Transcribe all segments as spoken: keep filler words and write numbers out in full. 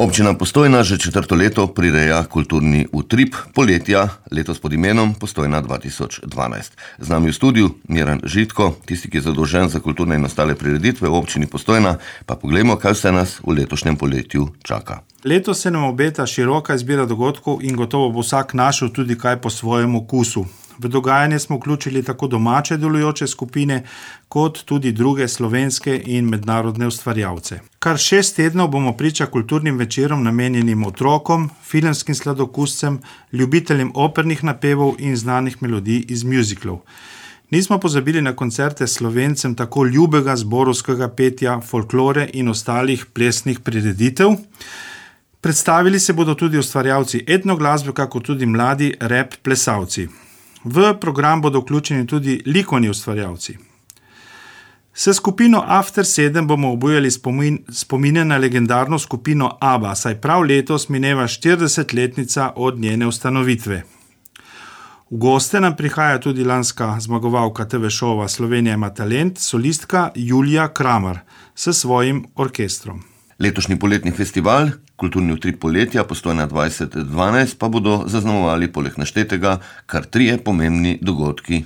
Občina Postojna že četrto leto prireja kulturni utrip poletja, letos pod imenom Postojna dva tisoč dvanajst. Z nami v studiu Miran Žitko, tisti, ki je zadolžen za kulturne in ostale prireditve v občini Postojna, pa poglejmo, kaj vse nas v letošnjem poletju čaka. Letos se nam obeta široka izbira dogodkov in gotovo bo vsak našel tudi kaj po svojem okusu. V dogajanje smo vključili tako domače delujoče skupine, kot tudi druge slovenske in mednarodne ustvarjalce. Kar šest tednov bomo priča kulturnim večerom namenjenim otrokom, filmskim sladokuscem, ljubiteljem opernih napevov in znanih melodij iz mjuziklov. Nismo pozabili na koncerte Slovencem tako ljubega zborovskega petja, folklore in ostalih plesnih prireditev. Predstavili se bodo tudi ustvarjalci etnoglasbe, kako tudi mladi rap plesalci. V program bodo vključeni tudi likovni ustvarjalci. S skupino After sedem bomo obujali spomin, spomine na legendarno skupino ABBA, saj prav letos mineva štiridesetletnica od njene ustanovitve. V goste nam prihaja tudi lanska zmagovalka te ve šova Slovenija ima talent, solistka Julija Kramar s svojim orkestrom. Letošnji poletni festival, kulturni utrip poletja Postojna dvajset dvanajst, pa bodo zaznamovali poleg naštetega kar trije pomembni dogodki.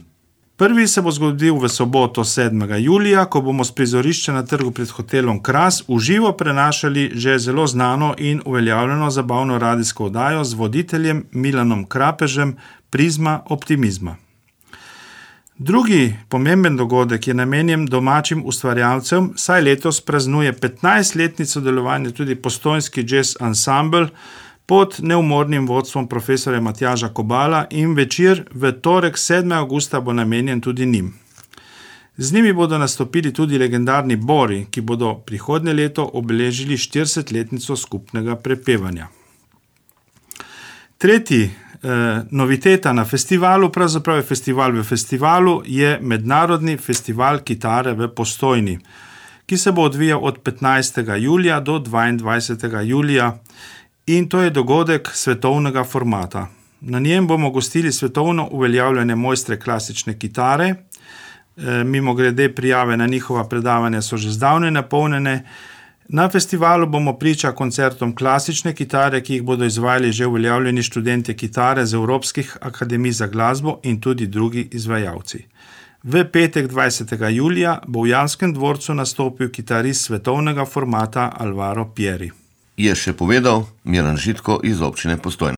Prvi se bo zgodil v soboto sedmega julija, ko bomo s prizorišča na trgu pred hotelom Kras v živo prenašali že zelo znano in uveljavljeno zabavno radijsko oddajo z voditeljem Milanom Krapežem Prizma optimizma. Drugi pomemben dogodek je namenjen domačim ustvarjalcem, saj letos praznuje petnajstletnico delovanja tudi postojnski jazz ansambel pod neumornim vodstvom profesorja Matjaža Kobala in večer v torek sedmega avgusta bo namenjen tudi njim. Z njimi bodo nastopili tudi legendarni Bori, ki bodo prihodnje leto obeležili štiridesetletnico skupnega prepevanja. Tretji noviteta na festivalu, pravzaprav je festival v festivalu, je Mednarodni festival kitare v Postojni, ki se bo odvijal od petnajstega julija do dvaindvajsetega julija in to je dogodek svetovnega formata. Na njem bomo gostili svetovno uveljavljene mojstre klasične kitare, mimogrede prijave na njihova predavanja so že zdavnaj napolnjene. Na festivalu bomo priča koncertom klasične kitare, ki jih bodo izvajali že uveljavljeni študentje kitare z Evropskih akademij za glasbo in tudi drugi izvajalci. V petek dvajsetega julija bo v Janskem dvorcu nastopil kitarist svetovnega formata Alvaro Pieri. Je še povedal Miran Žitko iz občine Postojna.